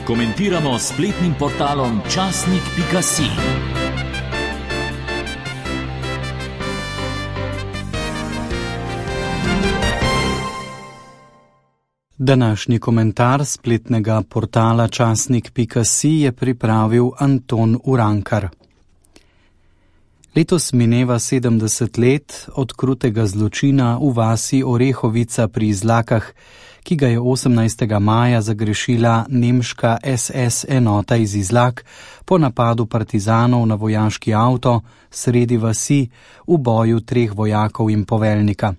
komentiramo s spletnim portalom časnik.si. Današnji komentar spletnega portala časnik.si je pripravil Anton Urankar. Letos mineva 70 let od krutega zločina v vasi Orehovica pri Izlakah, ki ga je 18. maja zagrešila nemška SS enota iz Izlak po napadu partizanov na vojaški avto sredi vasi v boju 3 vojakov in poveljnika.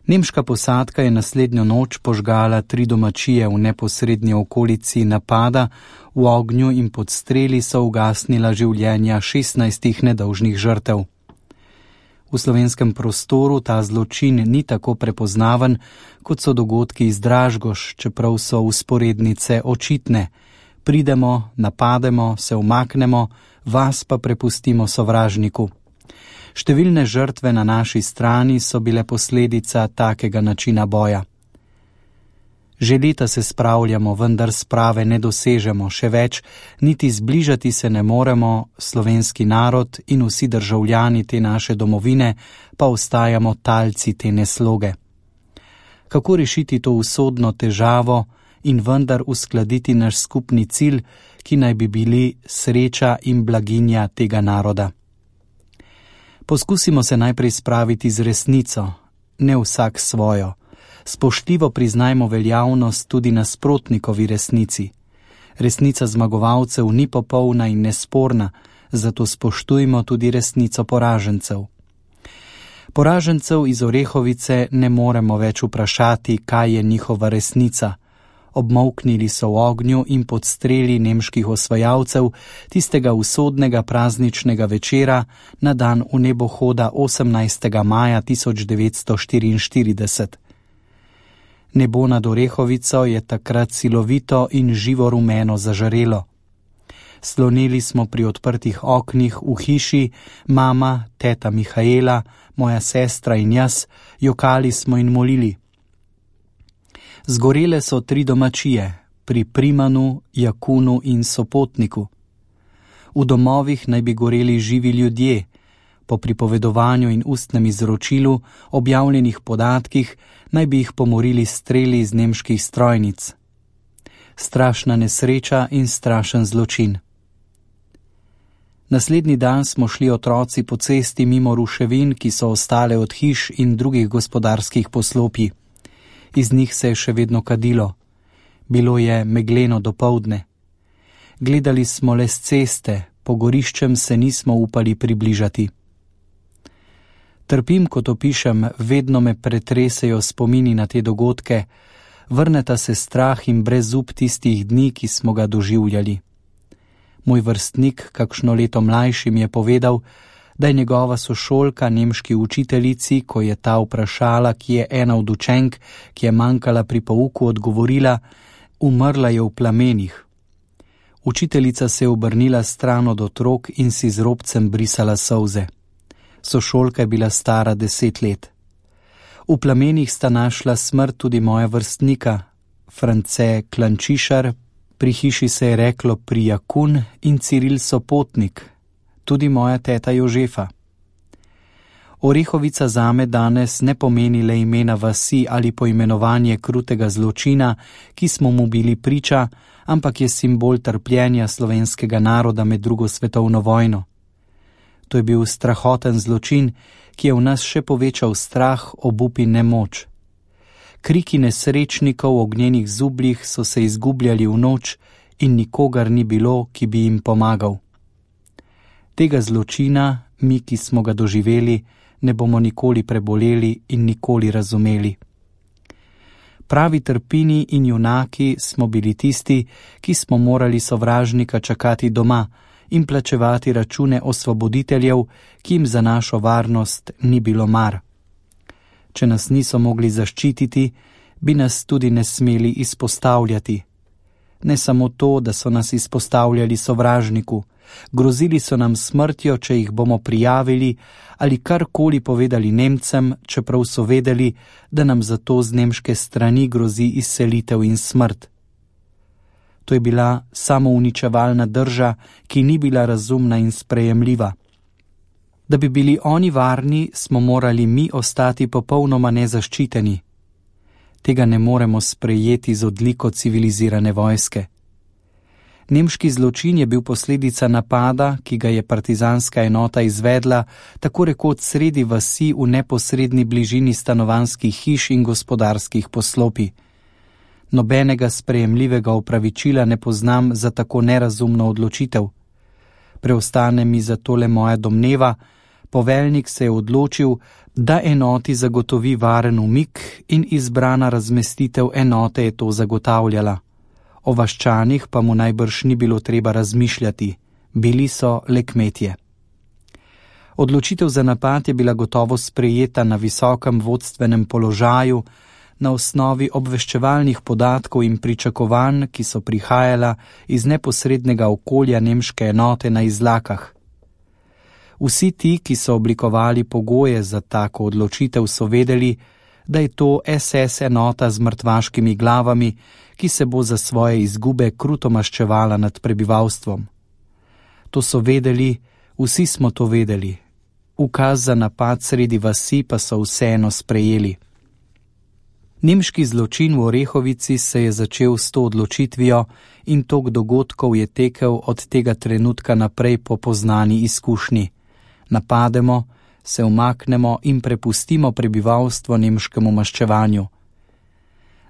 Nemška posadka je naslednjo noč požgala 3 domačije v neposrednji okolici napada, v ognju in pod streli so ugasnila življenja 16 nedolžnih žrtev. V slovenskem prostoru ta zločin ni tako prepoznaven, kot so dogodki iz Dražgoš, čeprav so vzporednice očitne. Pridemo, napademo, se umaknemo, vas pa prepustimo sovražniku. Številne žrtve na naši strani so bile posledica takega načina boja. Že leta se spravljamo, vendar sprave ne dosežemo, še več, niti zbližati se ne moremo, slovenski narod in vsi državljani te naše domovine pa ostajamo talci te nesloge. Kako rešiti to usodno težavo in vendar uskladiti naš skupni cilj, ki naj bi bili sreča in blaginja tega naroda? Poskusimo se najprej spraviti z resnico, ne vsak svojo. Spoštljivo priznajmo veljavnost tudi nasprotnikovi resnici. Resnica zmagovalcev ni popolna in nesporna, zato spoštujmo tudi resnico poražencev. Poražencev iz Orehovice ne moremo več vprašati, kaj je njihova resnica. Obmolknili so v ognju in pod streli nemških osvajalcev tistega usodnega prazničnega večera na dan v nebohoda 18. maja 1944. Nebo nad Orehovico je takrat silovito in živo rumeno zažarelo. Slonili smo pri odprtih oknih v hiši, mama, teta Mihaela, moja sestra in jaz, jokali smo in molili. Zgorele so 3 domačije, pri Primanu, Jakunu in Sopotniku. V domovih naj bi goreli živi ljudje, po pripovedovanju in ustnem izročilu, objavljenih podatkih, naj bi jih pomorili streli iz nemških strojnic. Strašna nesreča in strašen zločin. Naslednji dan smo šli otroci po cesti mimo ruševin, ki so ostale od hiš in drugih gospodarskih poslopij. Iz njih se je še vedno kadilo. Bilo je megleno dopoldne. Gledali smo le s ceste, po goriščem se nismo upali približati. Trpim, kot opišem, vedno me pretresejo spomini na te dogodke, vrneta se strah in brezup tistih dni, ki smo ga doživljali. Moj vrstnik, kakšno leto mlajši, mi je povedal, da je njegova sošolka nemški učiteljici, ko je ta vprašala, ki je ena od učenk, ki je manjkala pri pouku, odgovorila: umrla je v plamenih. Učiteljica se je obrnila stran od otrok in si z robcem brisala solze. Sošolka je bila stara 10 let. V plamenih sta našla smrt tudi moja vrstnika, France Klančišar, pri hiši se je reklo Prijakun, in Ciril Sopotnik, tudi moja teta Jožefa. Orehovica zame danes ne pomeni le imena vasi ali poimenovanje krutega zločina, ki smo mu bili priča, ampak je simbol trpljenja slovenskega naroda med 2. svetovno vojno. To je bil strahoten zločin, ki je v nas še povečal strah, obup in nemoč. Kriki nesrečnikov v ognjenih zubljih so se izgubljali v noč in nikogar ni bilo, ki bi jim pomagal. Tega zločina, mi, ki smo ga doživeli, ne bomo nikoli preboleli in nikoli razumeli. Pravi trpini in junaki smo bili tisti, ki smo morali sovražnika čakati doma in plačevati račune osvoboditeljev, ki jim za našo varnost ni bilo mar. Če nas niso mogli zaščititi, bi nas tudi ne smeli izpostavljati. Ne samo to, da so nas izpostavljali sovražniku, grozili so nam smrtjo, če jih bomo prijavili ali karkoli povedali Nemcem, čeprav so vedeli, da nam zato z nemške strani grozi izselitev in smrt. To je bila samouničevalna drža, ki ni bila razumna in sprejemljiva. Da bi bili oni varni, smo morali mi ostati popolnoma nezaščiteni. Tega ne moremo sprejeti z odliko civilizirane vojske. Nemški zločin je bil posledica napada, ki ga je partizanska enota izvedla tako rekoč sredi vasi v neposredni bližini stanovanjskih hiš in gospodarskih poslopij. Nobenega sprejemljivega opravičila ne poznam za tako nerazumno odločitev. Preostane mi zato le moja domneva, poveljnik se je odločil, da enoti zagotovi varen umik in izbrana razmestitev enote je to zagotavljala. O vaščanih pa mu najbrž ni bilo treba razmišljati, bili so le kmetje. Odločitev za napad je bila gotovo sprejeta na visokem vodstvenem položaju, na osnovi obveščevalnih podatkov in pričakovanj, ki so prihajala iz neposrednega okolja nemške enote na Izlakah. Vsi ti, ki so oblikovali pogoje za tako odločitev, so vedeli, da je to SS enota z mrtvaškimi glavami, ki se bo za svoje izgube kruto maščevala nad prebivalstvom. To so vedeli, vsi smo to vedeli. Ukaz za napad sredi vasi pa so vseeno sprejeli. Nemški zločin v Orehovici se je začel s to odločitvijo in tok dogodkov je tekel od tega trenutka naprej po poznani izkušnji. Napademo, se umaknemo in prepustimo prebivalstvo nemškemu maščevanju.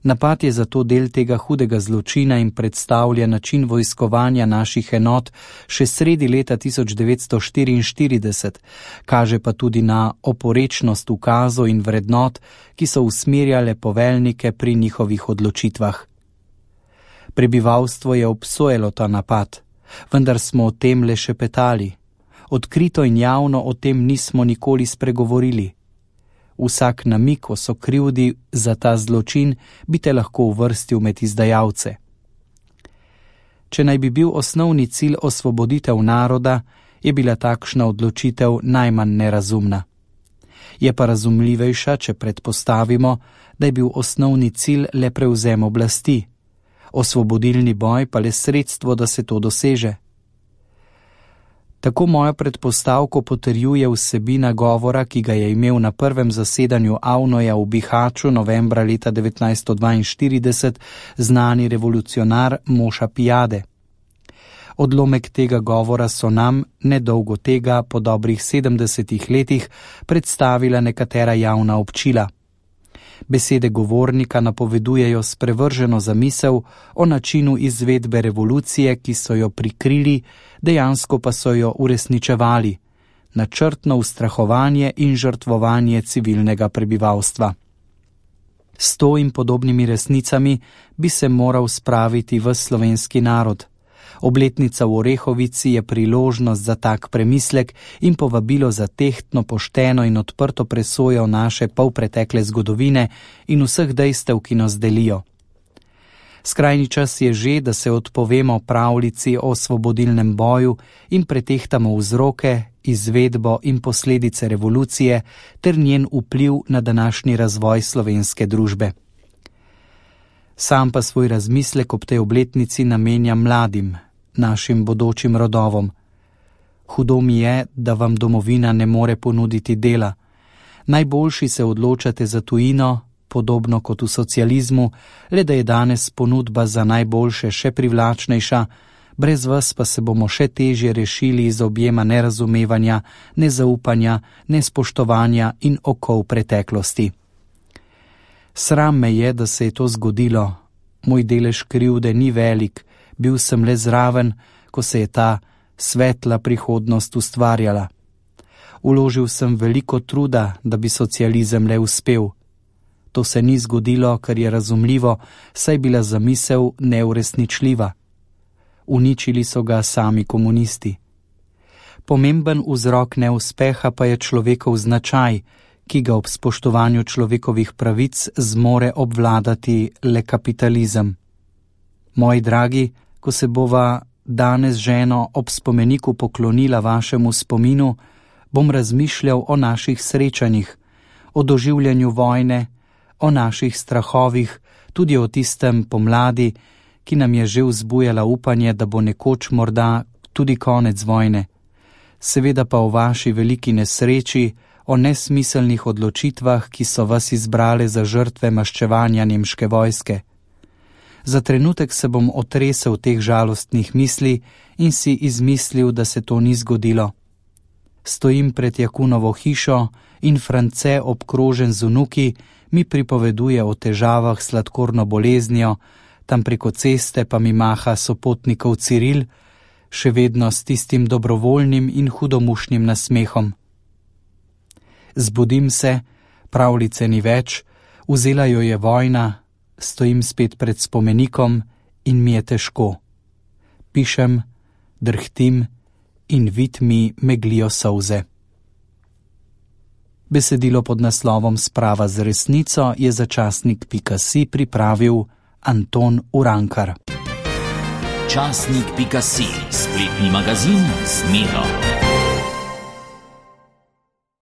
Napad je zato del tega hudega zločina in predstavlja način vojskovanja naših enot še sredi leta 1944, kaže pa tudi na oporečnost ukazov in vrednot, ki so usmerjale poveljnike pri njihovih odločitvah. Prebivalstvo je obsojalo ta napad, vendar smo o tem le šepetali. Odkrito in javno o tem nismo nikoli spregovorili. Vsak namig o sokrivdi za ta zločin bi te lahko uvrstil med izdajalce. Če naj bi bil osnovni cilj osvoboditev naroda, je bila takšna odločitev najmanj nerazumna. Je pa razumljivejša, če predpostavimo, da je bil osnovni cilj le prevzem oblasti, osvobodilni boj pa le sredstvo, da se to doseže. Tako mojo predpostavko potrjuje vsebina govora, ki ga je imel na prvem zasedanju Avnoja v Bihaću novembra leta 1942 znani revolucionar Moša Pijade. Odlomek tega govora so nam, nedolgo tega, po dobrih 70 letih, predstavila nekatera javna občila. Besede govornika napovedujejo sprevrženo zamisel o načinu izvedbe revolucije, ki so jo prikrili, dejansko pa so jo uresničevali, načrtno ustrahovanje in žrtvovanje civilnega prebivalstva. S to in podobnimi resnicami bi se moral spraviti ves slovenski narod. Obletnica v Orehovici je priložnost za tak premislek in povabilo za tehtno, pošteno in odprto presojo naše polpretekle zgodovine in vseh dejstev, ki nas delijo. Skrajni čas je že, da se odpovemo pravljici o osvobodilnem boju in pretehtamo vzroke, izvedbo in posledice revolucije ter njen vpliv na današnji razvoj slovenske družbe. Sam pa svoj razmislek ob tej obletnici namenjam mladim, našim bodočim rodovom. Hudo mi je, da vam domovina ne more ponuditi dela. Najboljši se odločate za tujino, podobno kot v socializmu, le da je danes ponudba za najboljše še privlačnejša, brez vas pa se bomo še težje rešili iz objema nerazumevanja, nezaupanja, nespoštovanja in okov preteklosti. Sram me je, da se je to zgodilo. Moj delež krivde ni velik, bil sem le zraven, ko se je ta svetla prihodnost ustvarjala. Vložil sem veliko truda, da bi socializem le uspel. To se ni zgodilo, kar je razumljivo, saj bila zamisel neuresničljiva. Uničili so ga sami komunisti. Pomemben vzrok neuspeha pa je človekov značaj, ki ga ob spoštovanju človekovih pravic zmore obvladati le kapitalizem. Moji dragi, ko se bova danes ženo ob spomeniku poklonila vašemu spominu, bom razmišljal o naših srečanjih, o doživljanju vojne, o naših strahovih, tudi o tistem pomladi, ki nam je že vzbujala upanje, da bo nekoč morda tudi konec vojne. Seveda pa o vaši veliki nesreči, o nesmiselnih odločitvah, ki so vas izbrale za žrtve maščevanja nemške vojske. Za trenutek se bom otresel teh žalostnih misli in si izmislil, da se to ni zgodilo. Stojim pred Jakunovo hišo in France, obkrožen z vnuki, mi pripoveduje o težavah s sladkorno boleznijo, tam preko ceste pa mi maha sopotnikov Ciril, še vedno s tistim dobrovoljnim in hudomušnim nasmehom. Zbudim se, pravljice ni več, vzela jo je vojna, stojim spet pred spomenikom in mi je težko. Pišem, drhtim in vid mi meglijo solze. Besedilo pod naslovom Sprava z resnico je za časnik.si pripravil Anton Urankar. Časnik.si, spletni magazin z Miro.